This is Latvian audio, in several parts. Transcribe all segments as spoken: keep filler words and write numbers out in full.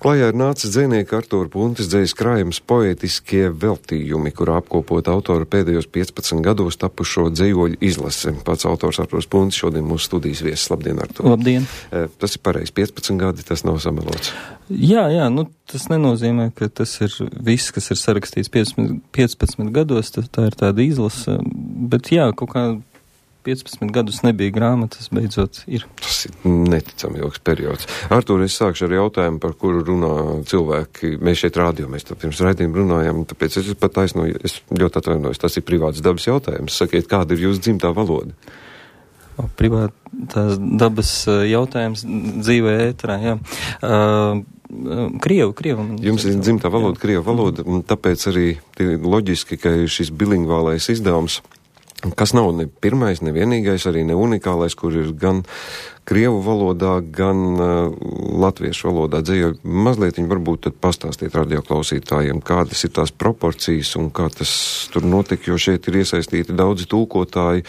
Klajā ir nācis dzejnieka Artūra Puntes dzejas krājums poētiskie veltījumi, kurā apkopot autora pēdējos piecpadsmit gados tapušo dzejoļu izlase. Pats autors Artūrs Puntes šodien mūsu studijas viesis. Labdien, Artūr. Labdien. Tas ir pareizi, piecpadsmit gadi, tas nav samelots. Jā, jā, nu tas nenozīmē, ka tas ir viss, kas ir sarakstīts piecpadsmit gados, tā ir tāda izlase, bet jā, kaut kā piecpadsmit gadus nebija grāmatas, beidzot ir. Tas ir neticami ilgs periods. Artūr, es sākšu ar jautājumu, par kuru runā cilvēki. Mēs šeit rādio, mēs tā pirms raidījuma runājam, tāpēc es pat taisnoju, es ļoti atvainojos, tas ir privāts dabas jautājums. Sakiet, kāda ir jūsu dzimtā valoda? O, privātās dabas jautājums dzīvē ēterā, jā. Uh, Krievu, Krievu. Jums ir dzimtā valoda, jā. Krievu valoda, un tāpēc arī loģiski, ka ir šis bilingvālais izdevums, kas nav ne pirmais, ne vienīgais, arī ne unikālais, kur ir gan krievu valodā, gan uh, latviešu valodā dzējoļi. Mazliet viņi varbūt tad pastāstīt radioklausītājiem, kādas ir tās proporcijas un kā tas tur notika, jo šeit ir iesaistīti daudzi tulkotāji.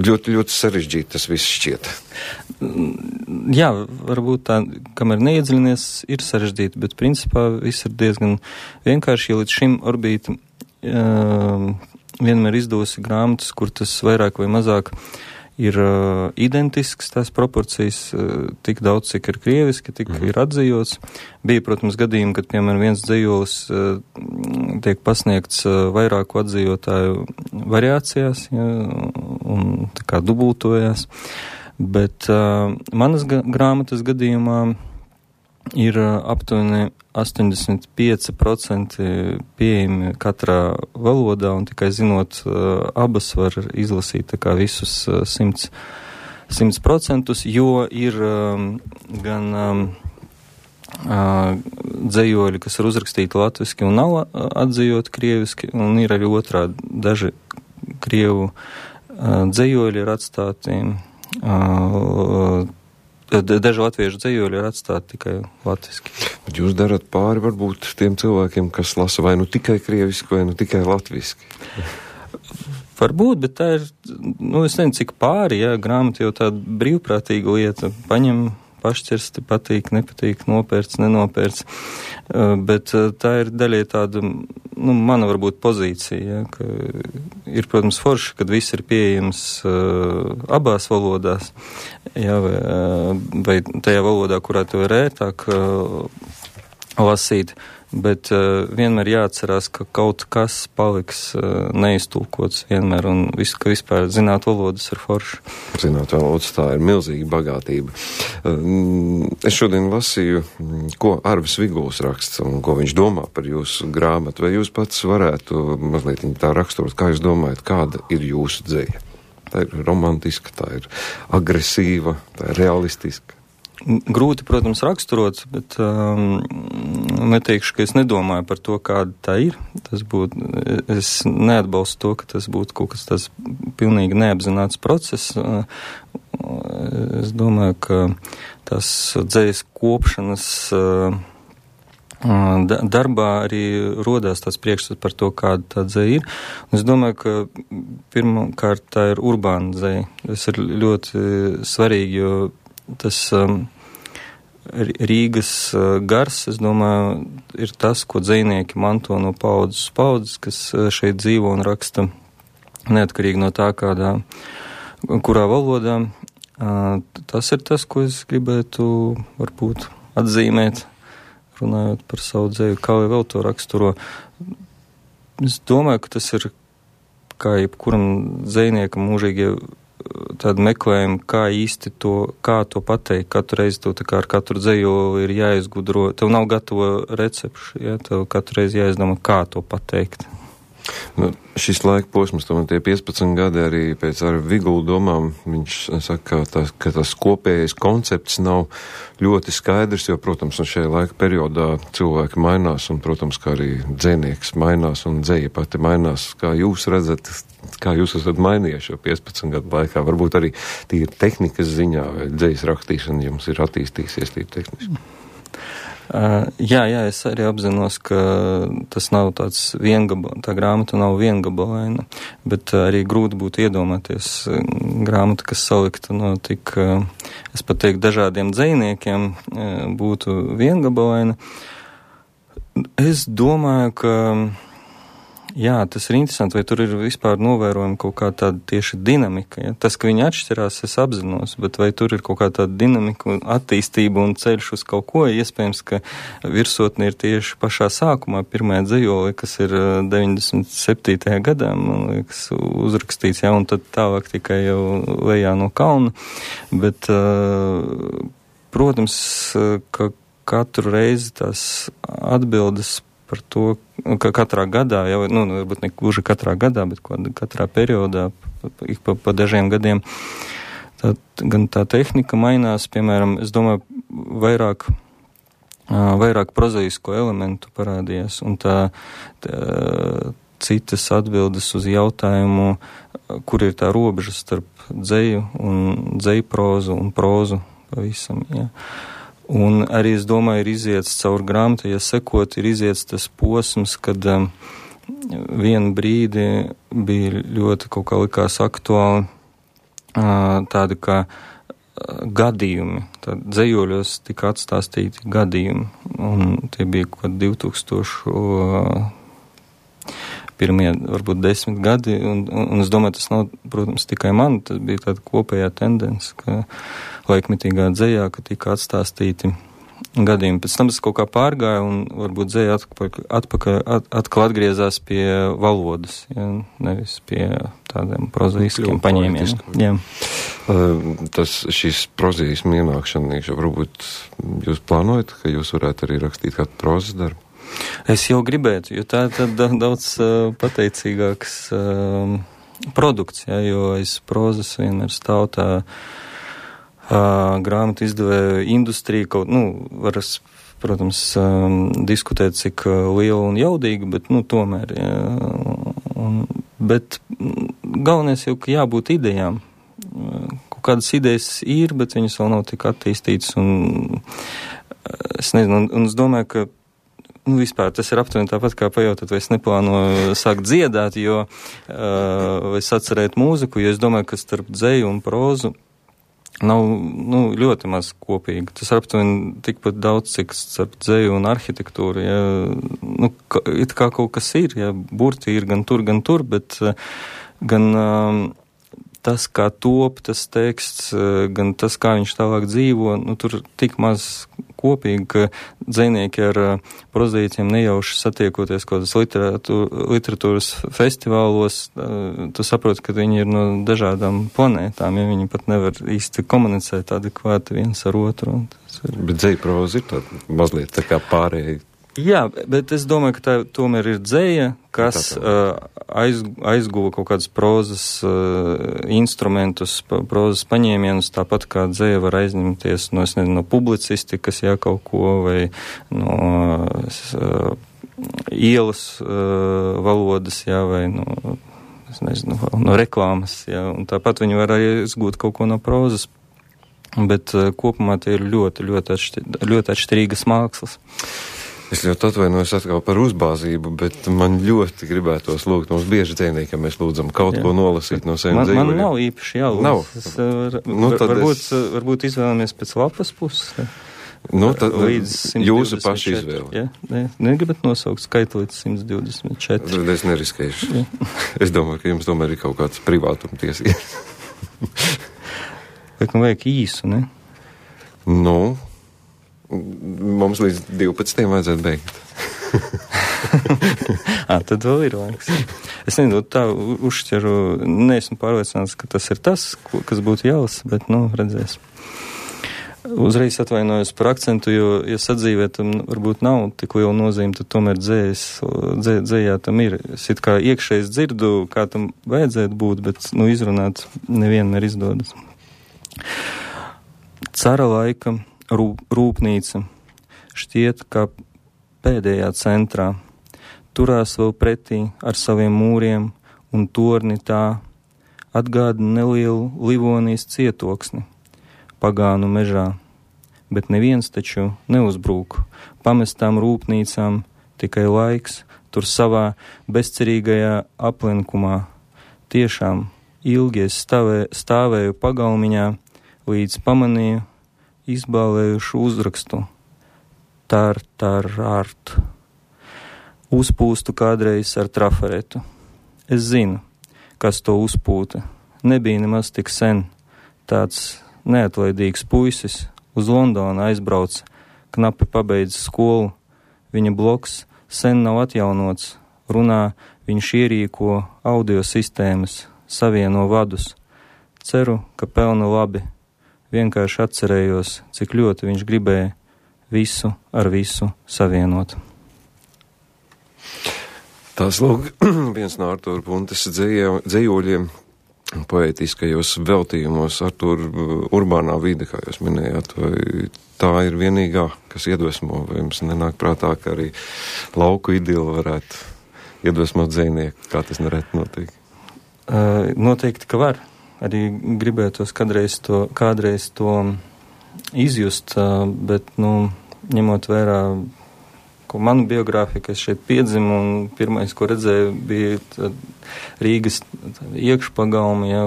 Ļoti, ļoti sarežģīti tas viss šķiet. Jā, varbūt tā, kamēr neiedziļinies, ir sarežģīti, bet principā viss ir diezgan vienkārši, jo līdz šim Orbīta uh, vienmēr izdosi grāmatas, kur tas vairāk vai mazāk ir uh, identisks, tās proporcijas, uh, tik daudz, cik ir krieviski, tik mm. ir atzījots. Bija, protams, gadījumi, kad, piemēram, viens dzējolis uh, tiek pasniegts uh, vairāku atzījotāju variācijās, ja, un tā kā dubultojās. Bet uh, manas ga- grāmatas gadījumā ir uh, aptuveni astoņdesmit pieci procenti pieejami katrā valodā, un tikai zinot uh, abas var izlasīt tā kā visus uh, simts procentus, jo ir um, gan um, uh, dzējoļi, kas ir uzrakstīti latviski un nav atzījoti krieviski, un ir arī otrādi daži krievu uh, dzējoļi ir atstāti uh, Daži latviešu dzējoļi ir atstāti tikai latviski. Bet jūs darat pāri varbūt tiem cilvēkiem, kas lasa vai nu tikai krieviski, vai nu tikai latviski? Varbūt, bet tā ir, nu es nezinu, cik pāri, jā, grāmata jau tāda brīvprātīga lieta. Paņem, pašķirsti, patīk, nepatīk, nopērts, nenopērts. Uh, bet uh, tā ir daļai tāda, nu, mana varbūt pozīcija, ja, ka ir, protams, forši, kad viss ir pieejams uh, abās valodās, ja, vai, uh, vai tajā valodā, kurā to ir ērtāk uh, lasīt, bet uh, vienmēr jāatcerās, ka kaut kas paliks uh, neiztulkots vienmēr, un vis, ka vispār zināt valodas ir forši. Zināt valodas, tā ir milzīga bagātība. Uh, es šodien lasīju, ko Arvis Viguls raksts un ko viņš domā par jūsu grāmatu. Vai jūs pats varētu mazliet tā raksturot, kā jūs domājat, kāda ir jūsu dzeja? Tā ir romantiska, tā ir agresīva, tā ir realistiska. Grūti, protams, raksturot, bet um, neteikšu, ka es nedomāju par to, kāda tā ir. Tas būtu, es neatbalstu to, ka tas būtu kaut kas tas pilnīgi neapzināts process. Es domāju, ka tās dzejas kopšanas darbā arī rodās tāds priekšstats par to, kāda tā dzeja ir. Un es domāju, ka pirmkārt tā ir urbāna dzeja. Tas ir ļoti svarīgi, jo tas um, Rīgas uh, gars, es domāju, ir tas, ko dzejnieki manto no paudzes uz paudzes, kas uh, šeit dzīvo un raksta neatkarīgi no tā, kādā, kurā valodā. Uh, tas ir tas, ko es gribētu varbūt atzīmēt, runājot par savu dzeju, kā vēl to raksturo. Es domāju, ka tas ir kā jebkuram dzejniekam mūžīgie tādu meklējumu, kā īsti to, kā to pateikt. Katru reizi to tā kā ar katru dzeju ir jāizgudro. Tev nav gatavo recepšu, ja? Tev katru reizi jāizdomā, kā to pateikt. Nu, šis laika posms, tomēr tie piecpadsmit gadi arī pēc ar Vigulu domām, viņš saka, ka tas, ka tas kopējais koncepts nav ļoti skaidrs, jo, protams, un šajā laika periodā cilvēki mainās, un, protams, kā arī dzejnieks mainās, un dzeja pati mainās. Kā jūs redzat, kā jūs esat mainījuši jau piecpadsmit gadu laikā? Varbūt arī tīri tehnikas ziņā, vai dzejas rakstīšana jums ir attīstījusies tīri tehniski? Uh, jā, jā, es arī apzinos, ka tas nav tāds viengabalains, tā grāmata nav viengabalaina, bet uh, arī grūti būtu iedomāties uh, grāmatu, kas salikta no tik uh, es pat teiktu, dažādiem dzejniekiem būtu viengabalaina. Es domāju, ka jā, tas ir interesanti, vai tur ir vispār novērojama kaut kā tāda tieši dinamika. Ja? Tas, ka viņi atšķirās, es apzinos, bet vai tur ir kaut kā tāda dinamika un attīstība un ceļš uz kaut ko, iespējams, ka virsotne ir tieši pašā sākumā, pirmajā dzejolī, kas ir deviņdesmit septītajā gadā, man liekas, uzrakstīts, ja, un tad tālāk tikai jau lejā no kalna. Bet, protams, ka katru reizi tās atbildes par to, ka katrā gadā, jau, nu, varbūt ne gluži katrā gadā, bet katrā periodā, ik pa, pa dažiem gadiem, tā, gan tā tehnika mainās, piemēram, es domāju, vairāk, vairāk prozaisko elementu parādījās, un tā, tā citas atbildes uz jautājumu, kur ir tā robeža starp dzeju un dzeju prozu un prozu pavisam, jā. Un arī, es domāju, ir iziets caur grāmatu, ja sekot, ir iziets tas posms, kad um, vienu brīdi bija ļoti kaut kā likās aktuāli uh, tādi kā uh, gadījumi. Tad dzejoļos tika atstāstīti gadījumi, un tie bija kaut kādi divtūkstoši uh, pirmie, varbūt desmit gadi, un, un, un es domāju, tas nav, protams, tikai man, tas bija tāda kopējā tendence, ka laikmetīgā dzejā, ka tika atstāstīti gadījumi. Pēc tam tas kaut kā pārgāja, un varbūt dzeja atpakaļ, atpakaļ, at, atkal atgriezās pie valodas, ja, nevis pie tādiem prozaiskiem paņēmieniem. Jā. Uh, tas šīs prozaismu ienākšana, varbūt jūs plānojat, ka jūs varētu arī rakstīt kādu prozas darbu? Es jau gribētu, jo tā ir daudz uh, pateicīgāks uh, produkts, ja, jo aiz prozas vienmēr stāv tā uh, grāmatu izdevēja industrija, kaut, nu, varas, protams, um, diskutēt, cik uh, liela un jaudīga, bet, nu, tomēr, ja, un, bet galvenais jau, ka jābūt idejām. Kaut kādas idejas ir, bet viņas vēl nav tik attīstītas, un es nezinu, un, un es domāju, ka nu, vispār tas ir aptuveni tāpat kā pajautāt, vai es neplānoju sākt dziedāt, jo uh, vai sacerēt mūziku, jo es domāju, ka starp dzeju un prózu nav nu, ļoti maz kopīgi. Tas aptuveni tikpat daudz, cik starp dzeju un arhitektūru. Ja, nu, ka, it kā kaut kas ir, ja, burti ir gan tur, gan tur, bet uh, gan uh, tas, kā top tas teksts, uh, gan tas, kā viņš tālāk dzīvo, nu, tur tik maz kopīgi, ka dzejnieki ar uh, prozaīciem nejauši satiekoties kaut kādas literatūra, literatūras festivālos, uh, tu saproti, ka viņi ir no dažādām planētām, ja viņi pat nevar īsti komunicēt adekvāti viens ar otru. Ir... Bet dzeja proza ir tāda mazliet tā kā pārējai. Jā, bet es domāju, ka tā tomēr ir dzeja, kas uh, aiz, aizguva kaut kādas prozas uh, instrumentus, pa, prozas paņēmienus, tāpat kā dzeja var aizņemties no, es nezinu, no publicistikas, jā, kaut ko, vai no uh, ielas uh, valodas, jā, vai no, es nezinu, no reklāmas, jā, un tāpat viņi var arī izgūt kaut ko no prozas, bet uh, kopumā tie ir ļoti, ļoti, atšķir, ļoti atšķirīgas mākslas. Es ļoti atvainojos atkal par uzbāzību, bet man ļoti gribētos lūgt. Mums bieži dzejnieki, ja mēs lūdzam kaut Jā. ko nolasīt no saviem dzejniekiem. Man, man nav īpaši jālūdz. Nav. Es, var, nu, var, varbūt, es... varbūt izvēlamies pēc lapas puses. Nu, tad jūsu paši izvēle. Ja? Ne, negribat nosaukt skaitu līdz simt divdesmit četri. Es neriskēšu. Es domāju, ka jums tomēr ir kaut kāds privātuma tiesības. Bet man vajag īsu, ne? Nu... Mums līdz divpadsmitiem vajadzētu beigt. Ā, tad vēl ir laiks. Es nezinu, tā uzšķeru, neesmu pārliecināts, ka tas ir tas, kas būtu jālasa, bet, nu, redzēs. Uzreiz atvainojos par akcentu, jo, ja sadzīvē tam varbūt nav tik liela nozīme, tad tomēr dzējas, dzē, dzējā tam ir. Es it kā iekšējs dzirdu, kā tam vajadzētu būt, bet, nu, izrunāt nevienmēr izdodas. Cara laika rūpnīca šķiet, kā pēdējā centrā, turās vēl pretī ar saviem mūriem un torni tā, atgādina nelielu Livonijas cietoksni, pagānu mežā, bet neviens taču neuzbrūk pamestām rūpnīcām, tikai laiks tur savā bezcerīgajā aplenkumā. Tiešām ilgi es stāvē, stāvēju pagalmiņā, līdz pamanīju izbālējušu uzrakstu tar, tar, art. Uzpūstu kādreiz ar trafaretu. Es zinu, kas to uzpūta. Nebija nemaz tik sen. Tāds neatlaidīgs puisis uz Londonu aizbrauc, knapi pabeidz skolu. Viņa bloks sen nav atjaunots. Runā, viņš ierīko audio sistēmas, savieno vadus. Ceru, ka pelna labi. Vienkārši atcerējos, cik ļoti viņš gribēja visu ar visu savienot. Tās lūk, viens no Artūra Puntes dzējoļiem poētiskajos veltījumos, Artūra urbānā vide, kā jūs minējāt, vai tā ir vienīgā, kas iedvesmo, vai jums nenāk prātā, ka arī lauku idilu varētu iedvesmot dzejnieku, kā tas nereti notiek? Uh, noteikti, ka var. Arī gribētos kādreiz to, kādreiz to izjust, uh, bet, nu, ņemot vērā ko manu biogrāfiju, ka es šeit piedzimu, un pirmais, ko redzēju, bija Rīgas iekšpagalmi, ja,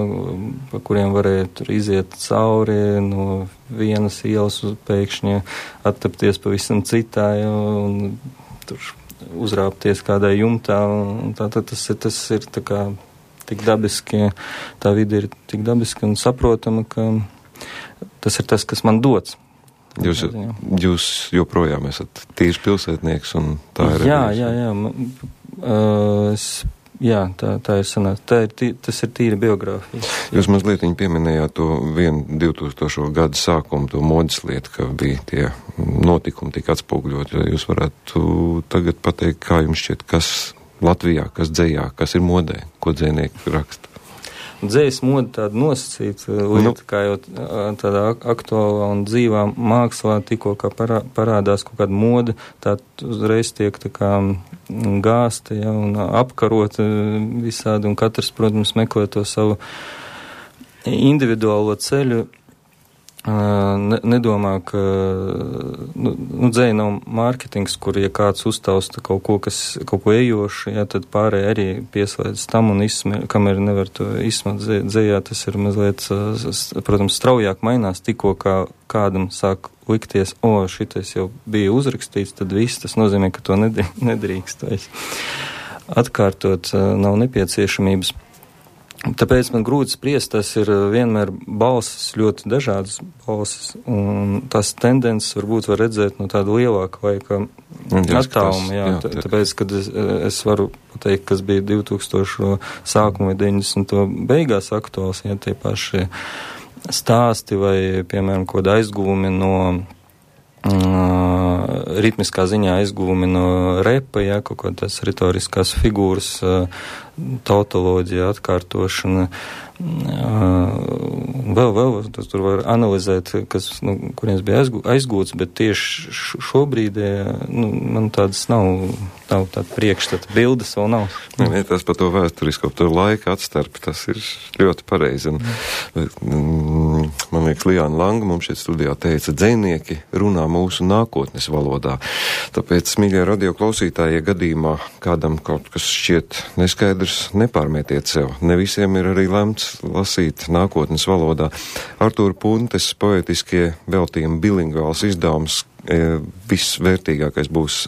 pa kuriem varēja tur iziet cauri no vienas ielas uz pēkšņi attapties pavisam citā, ja, un tur uzrāpties kādai jumtā, un tā, tā tas ir, tas ir tā kā tik dabiski, tā vide ir tik dabiski un saprotama, ka tas ir tas, kas man dots. Jūs, jūs joprojām esat tīrs pilsētnieks, un tā ir... Jā, jā, jā. Uh, es, jā, tā, tā ir sanāca. Tā ir tī, tas ir tīra biogrāfija. Jūs mazliet pieminējāt to vienu divtūkstošo gadu sākumu, to modes lietu, ka bija tie notikumi tik atspoguļot. Jūs varētu tagad pateikt, kā jums šķiet, kas Latvijā, kas dzejā, kas ir modē, ko dzejnieki raksta? Dzējas moda tāda nosacīta lieta, nu. Kā jau tādā aktuālā un dzīvā mākslā tikko kā parā, parādās kaut kāda moda, tā uzreiz tiek tā kā gāsta, ja, un apkarota visādi, un katrs, protams, meklē to savu individuālo ceļu. Ne, nedomā, ka nu, nu, dzēja nav mārketings, kur, ja kāds uztausta kaut ko, kas, kaut ko ejošu, ja, tad pārēj arī pieslēdz tam un izsmē, kamēr nevar to izsmēt dzējā, tas ir mazliet, protams, straujāk mainās, tikko kā kādam sāk likties, o, šitais jau bija uzrakstīts, tad viss tas nozīmē, ka to nedrīkst vairs atkārtot, nav nepieciešamības. Tāpēc man grūti spriest, tas ir vienmēr balsis, ļoti dažādas balsis, un tās tendences varbūt var redzēt no tāda lielāka laika attāluma, jā, jā, tāpēc, kad es, es varu pateikt, kas bija divtūkstošo sākumu vai deviņdesmito beigās aktuāls, ja tie paši stāsti vai, piemēram, kaut aizgūmi no Uh, ritmiskā ziņā aizgūmi no repa, ja, kaut kādas retoriskās figūras, uh, tautoloģija, atkārtošana, uh, vēl, vēl, tas tur var analizēt, kas, nu, kurienes bija aizgū, aizgūts, bet tieši šobrīd, nu, man tādas nav, nav tāda priekšstata, bildes vēl nav. Ne, ne, tas par to vēsturisko, par to laika atstarpi, tas ir ļoti pareizi. Un, mm, man liekas, Lijāna Langa mums šeit studijā teica, dzejnieki runā mūsu nākotnes valodā. Tāpēc, mīļie radio klausītāji, ja gadījumā kādam kaut kas šķiet neskaidrs, nepārmētiet sev. Ne visiem ir arī lemts lasīt nākotnes valodā. Artūra Puntes poetiskie veltījumi bilingvāls izdevums, e, visvērtīgākais būs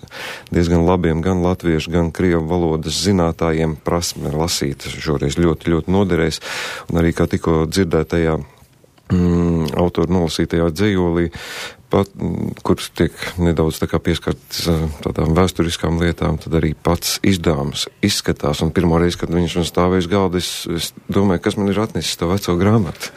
diezgan labiem gan latviešu, gan krievu valodas zinātājiem prasme lasīt. Šoreiz ļoti, ļoti noderēs. Un arī kā tikko dzirdētajā mm, autoru nolasītajā dzejolī, pat, kurš tiek nedaudz tā kā pieskarts tādām vēsturiskām lietām, tad arī pats izdevums izskatās. Un pirmo reizi, kad viņš man stāvēja uz galda, es, es domāju, kas man ir atnesis to veco grāmatu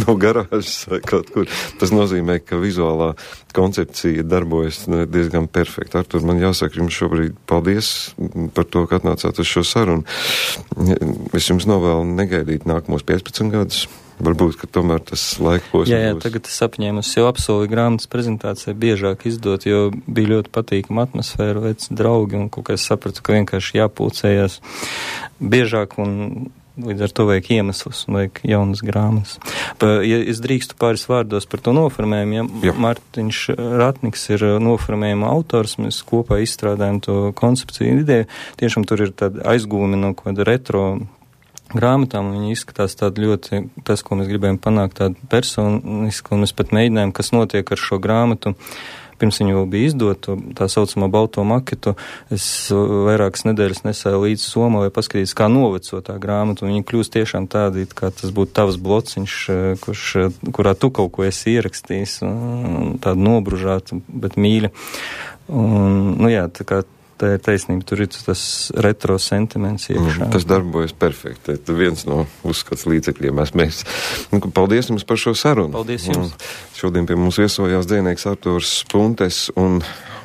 no garāžas vai kaut kur. Tas nozīmē, ka vizuālā koncepcija darbojas diezgan perfekti. Artur, man jāsaka jums šobrīd paldies par to, ka atnācāt uz šo sarunu. Es jums novēlu negaidīt nākamos piecpadsmit gadus. Varbūt, ka tomēr tas laika posms būs. Jā, jā, tagad es apņēmu, es jau apsolīju grāmatas prezentācijai biežāk izdot, jo bija ļoti patīkama atmosfēra, veci draugi, un kaut kā es sapratu, ka vienkārši jāpulcējās biežāk, un līdz ar to vajag iemeslus un vajag jaunas grāmatas. Pa, ja es drīkstu pāris vārdos par to noformējumu, ja Jā. Mārtiņš Ratniks ir noformējuma autors, mēs kopā izstrādājam to koncepciju ideju, tiešām tur ir tāda aizgūmi no kāda retro grāmatām, un viņi izskatās tādi ļoti, tas, ko mēs gribējām panākt, tādu personisku, un mēs pat mēģinājām, kas notiek ar šo grāmatu. Pirms viņa vēl bija izdota, tā saucamā balto maketu, es vairākas nedēļas nesēju līdz Somā, lai paskatīties, kā noveco tā grāmata, un viņa kļūst tiešām tāda, kā tas būtu tavs blociņš, kurš, kurā tu kaut ko esi ierakstījis, tāda nobružāta, bet mīļa. Un, nu jā, tā kā tā ir taisnība, tur ir tas retro sentiments iekšā. Mm, tas darbojas perfekti. Tas viens no uzskats līdzekļiem. Mēs, mēs. Paldies jums par šo sarunu. Paldies jums. Un šodien pie mums viesojās dzejnieks Artūrs Puntes, un,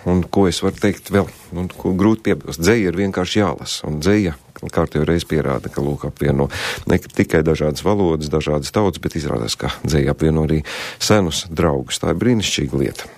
un ko es varu teikt vēl, un ko grūti piebilst. Dzeja ir vienkārši jālasa, un dzeja kārtējo reizi pierāda, ka lūk apvieno ne tikai dažādas valodas, dažādas tautas, bet izrādās, ka dzeja apvieno arī senus draugus. Tā ir brīnišķīga lieta.